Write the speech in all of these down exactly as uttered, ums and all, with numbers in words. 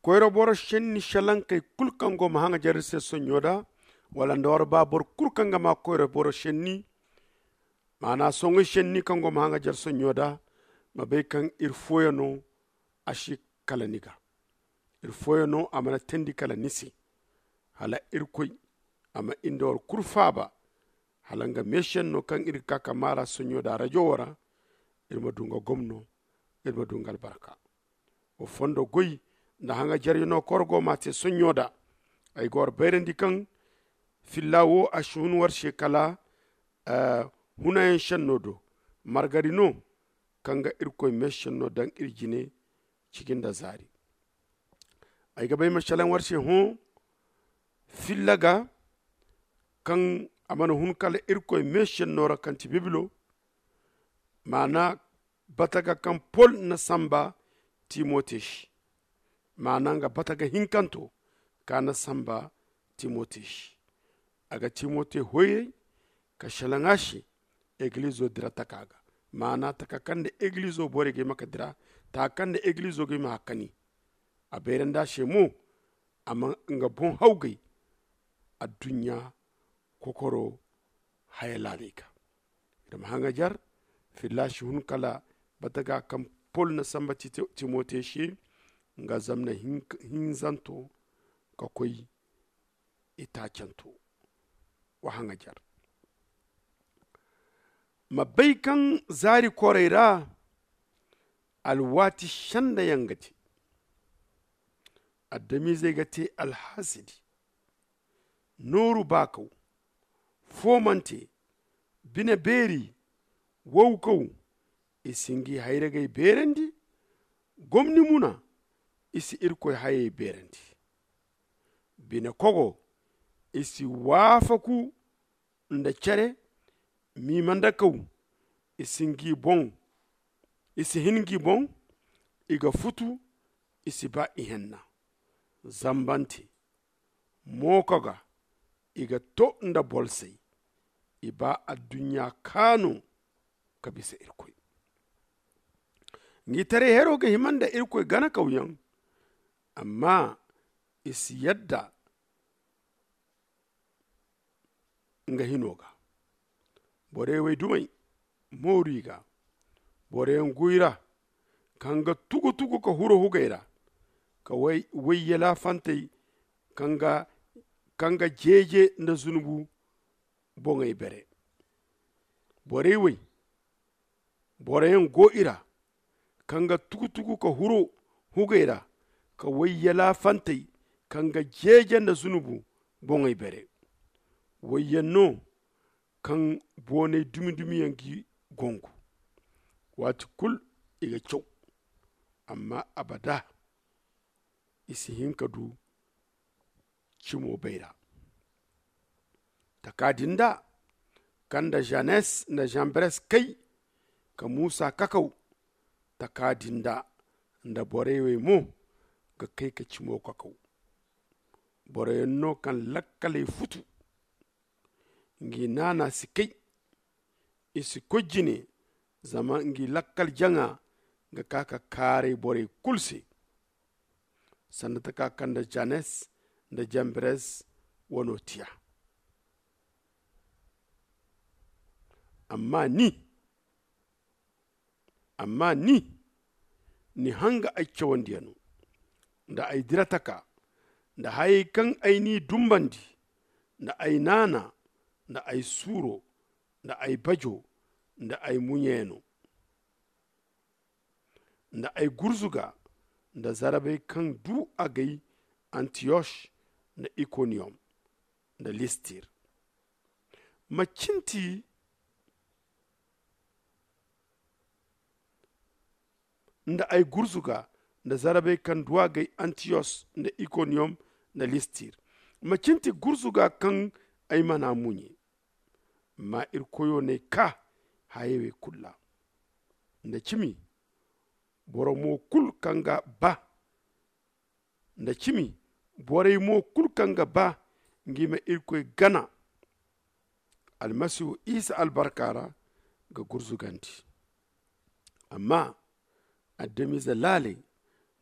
koyra boro senni salankey kulu kaŋ go ma haŋajer iri se sonɲo da, wala nda war ba boro kulu kaŋ ga ma koyra boro senni, maana soŋay senni kaŋ go ma haŋajer sonɲo da, ma bay kaŋ iri fooyaŋo a si kala ni ga. Iri fooyaŋo a mana teendi kala ni se. Hala irkoy a ma inda war kulu faaba, hala nga meesenno kaŋ iri ga ka ka maara sonɲo da rajo wo ra, iri ma du nga gomno, iri ma du nga albarka. Wa fondo goy nda haŋajaryaŋo kaŋ war go ma a te sonɲo da. Ay ga war bayrandi kaŋ filla wo a si hun war se kala hunayaŋ senno do. Margari no kaŋ ga irkoy meesenno daŋ iri jine ciji nda zaari. Ay ga bay ma salaŋ war se hõ filla ga kaŋ a mana hun kala irkoy meesenno ra kaŋ ti bibilo, maana bataga kaŋ pol na samba timote se. Maana nga bataga hinkanto ka na samba timote se. A ga timote hoyray ka salaŋ a se egilizo dira taka ga. Maana taka kaŋ nda egilizo borey ga hima ka dira, taka kaŋ nda egilizo ga hima hakkani. A bayrandi a se mo a ma nga boŋ hawgay adduɲɲa kokoro haya laaley ga. Iri ma haŋajar filla si hun kala bataga kaŋ pol na samba timote se nga zamna hinzanto ka koy itaacanto. Wa haŋajar ma bay kaŋ zaari korey ra alwaati senda yaŋ ga te. Adamiizey ga te alhasidi, nooru baakaw, foomante, bine beeri, wawkaw. I si ngi hayragey beerandi. Gomni muna, i si irkoy hayey beerandi. Bine kogo, i si waafaku nda cere. Miima nda kaw, i si ngi boŋ, i si hin ngi boŋ. I ga futu, i si ba ihenna. Zambante, mooka ga i ga to nda bolsey. I ba adduɲɲa kaanu ka bisa irkoy. Ngi taray hero ga hima nda irkoy gana kawyaŋ, amma i si yadda nga hino ga. Borey way dumey mooru i ga. Boroyaŋ go i ra kaŋ ga tugu-tugu ka huro hugey ra, ka way yalaafantey kaŋ ga jeeje nda zunubu boŋey bere. Borey way boroyaŋ go i ra kaŋ ga tugu-tugu ka huro hugey ra, ka way yalaafantey kaŋ ga jeeje nda zunubu boŋey bere. Wayyaŋ no kaŋ boonay dumi-dumiyaŋ g'i gongu. Waati kulu i ga caw, amma abada i si hin ka du cimo bayra. Taka din da kaŋ nda janes nda jambres kay ka muusa kakaw, taka din da nda borey wey mo ga kay ka cimo kakaw. Boroyaŋ no kaŋ lakkaley futu, ngi naana si kay. I si koy jine, zama ngi lakkal jaŋa ga ka ka kaaray borey kulu se. Sanda taka kaŋ nda janes nda jambres wano tiya. Amma ni amma ni ni hanga ay cawandiyano nda ay dirataka nda hayey kaŋ ay n'i dumbandi, nda ay naana nda ay suuro nda ay bajo nda ay muɲeyano, nda ay gurzuga nda zarabey kaŋ du agay antiyos nda ikoniyom nda listir. Ma cinti nda ay gurzuga nda zarabey kaŋ du agay antiyos nda ikoniyom nda listir. Ma cinti gurzuga kaŋ ay mana muɲe. Amma iri koyo n'ay ka hayey wey kulu ra. Nda cimi boro mo kulu kaŋ ga ba nda cimi borey mo kulu kaŋ ga ba ngi ma irkoy gana almasihu isa albarka ra ga gurzugandi. Amma adamize laaley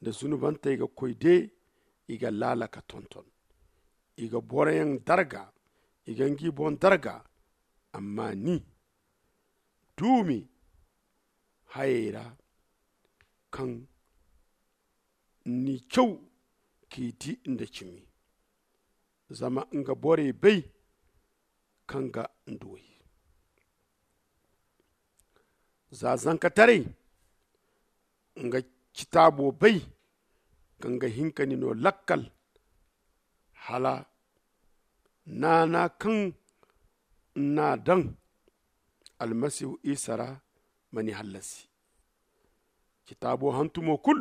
nda zunubantey ga koy de I ga laala ka tonton, i ga boroyaŋ darga, i ga ngi boŋ darga. Amma ni duumi hayey ra, kaŋ ni caw k'i di nda cimi, zama nga borey bay kaŋ ga nduwey. Za zankataray nga citaabo bay, kaŋ ga hin ka ni no lakkal, hala naana kaŋ n'a daŋ almasihu isa ra ma ni hallasi. Citaabo hantumo kul,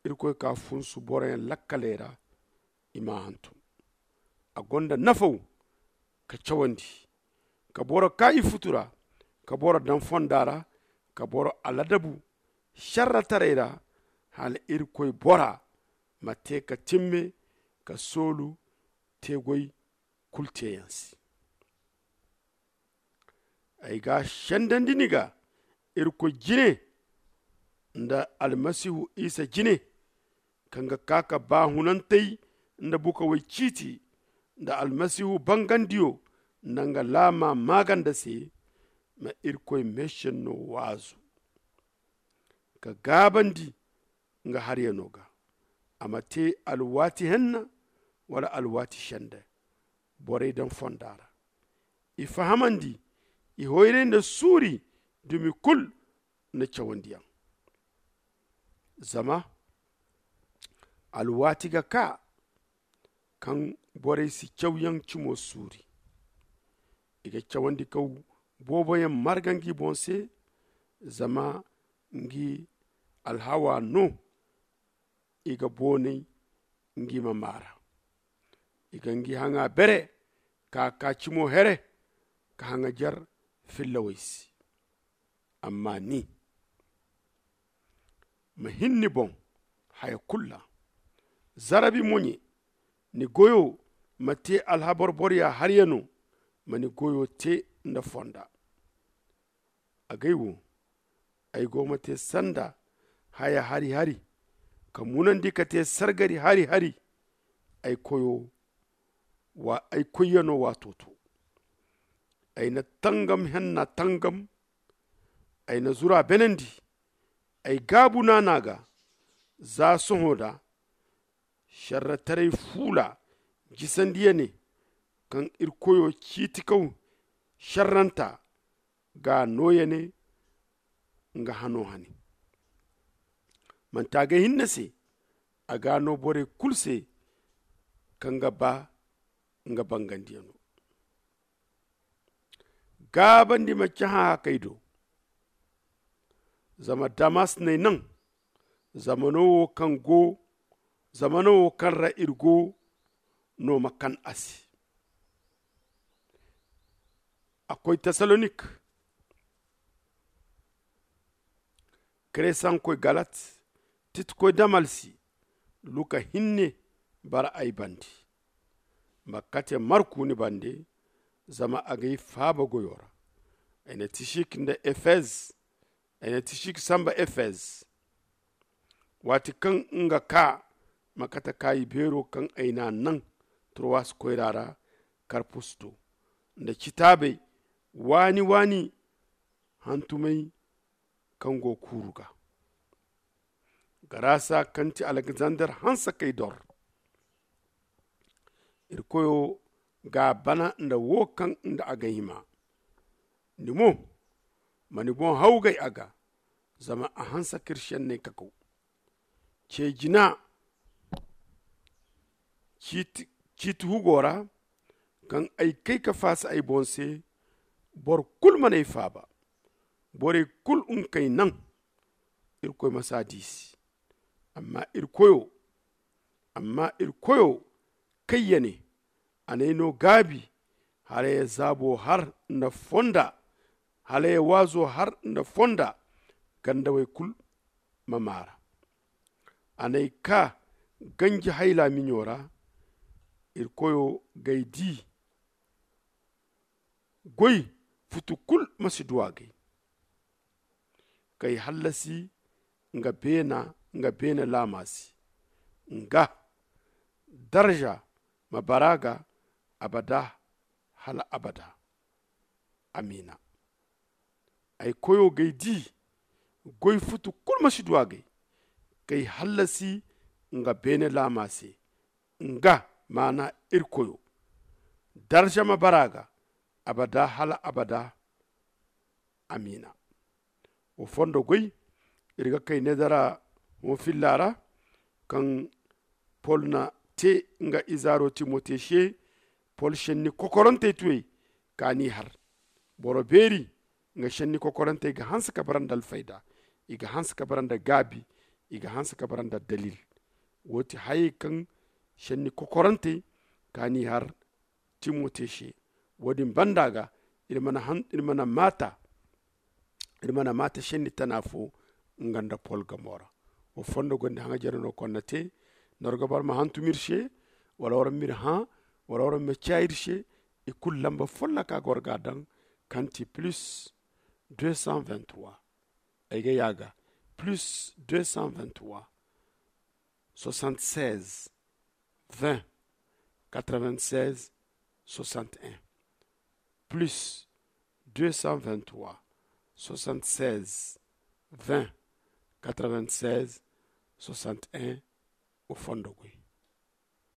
irkoy ka funsu boroyaŋ lakkaley ra, i m'a hantum. A gonda nafaw ka cawandi, ka boro ka i futu ra, ka boro daŋ fonda ra, ka boro aladabu sharrataray ra, hala irkoy bora ma te ka timme ka soolu teegoy kulu teeyaŋ se. Ay ga a sendandi ni ga irkoy jine, nda almasihu isa jine, kaŋ ga ka ka baahunantey nda bukawey ciiti, nda almasihu bangandiyo nda nga laama maaganda se. Ma irkoy meesenno waazu ka gaabandi nga haryano ga, a ma te alwaati henna wala alwaati sende, borey daŋ fonda ra, i fahamandi, i hoyray nda suuri dumi kulu nda cawandiyaŋ. Zama alwaati ga kaa kaŋ borey si cawyaŋ cimo suuri. I ga cawandi kaw booboyaŋ marga ngi boŋ se, zama ngi alhawa no. I ga boonay ngi ma maara, i ga ngi haŋa bere ka ka cimo here, ka haŋajer fillawey se. Amma ni ma hin ni boŋ haya kulu ra, zarabi moɲe. Ni goyo ma te alhabar borya haryano, ma ni goyo te nda fonda. Agay wo, ay go ma te sanda haya hari-hari, ka munandi ka te sargari hari-hari. Ay koyyaŋo waato to, ay na tangam henna tangam, ay na zura benandi. Ay gaabu naana ga za sohõ da sharrataray fuula jisandiyane, kaŋ iri koyo ciiti kaw sharranta ga nooyane. Nga hano hane manti a ga hinne se, a ga no borey kulu se kaŋ ga ba nga bangandiyano. Gaabandi ma cahã hakey do, zama damas n'ay naŋ. Zamano wo kaŋ go zamano wo kaŋ ra iri go no ma kan a se. A koy tesalonik, keresankoy galat, titikoy damalsi, luka hinne bara ay bande. Ma kate marku ni bande, zama a ga ay faaba goyo ra. Ay na tisik nda efez ay na tisik samba efez. Waati kaŋ nga kaa ma kate kaayi beero kaŋ ay n'a naŋ trowas koyra ra, karpus do nda citaabey waani-waani hantumey kaŋ go kuuru ga. Garasa kaŋ ti alexander hanse k'ay dor. Iri koyo ga a bana nda wo kaŋ nda a ga hima. Ni mo, ma ni boŋ hawgay a ga, zama a hanse k'iri senney kakaw. Ce jina ciiti hugo ra, kaŋ ay kay ka faasa ay boŋ se. Boro kulu man'ay faaba. Borey kulu nga k'ay naŋ. Irkoy ma si a diisi. Amma iri koyo amma iri koyo kayya ne, a n'ay no gaabi hala ya zaabo har nda fonda, hala ya waazo har nda fonda. Gandawey kulu ma maara. A n'ay ka ganji hayla miɲo ra. Iri koyo g'ay di goy futu kulu ma si du a gay. K'ay hallasi nga beena nga beena laama se. Nga Darza ma bara ga abada hala abada. Amiina. Ay koyo g'ay di, goy futu kulu ma si du a gay. K'ay hallasi nga beene laama se, nga maana iri koyo. Darza ma bara ga abada hala abada. Amiina. Wo fondo goy, iri ga kay needara hõ filla ra, kaŋ pol na te nga izaaro timote se. Pol senni kokorantey tuyey ka n'i har. Boro beeri nga senni kokorantey ga hanse ka bara nda alfayda, i ga hanse ka bara nda gaabi, i ga hanse ka bara nda dalil. Wo ti hayey kaŋ senni kokorantey ka n'i har timote se. Wo- din banda ga iri mana maata iri mana maata senni tana fo nga nda pol ga moora. Wo fondo gonda haŋa jare no konna te. Nda war ga bara ma hantum iri se, wala war ma iri hã, wala war ma caa iri se, i kulu lamba folloka ga war ga a daŋ, kaŋ ti plus deux cent vingt-trois. Ay ga yaaga plus deux cent vingt-trois, soixante-seize, vingt, quatre-vingt-seize, soixante-un. Plus deux cent vingt-trois, soixante-seize, vingt, quatre-vingt-seize, soixante-un. Wo fondo goy.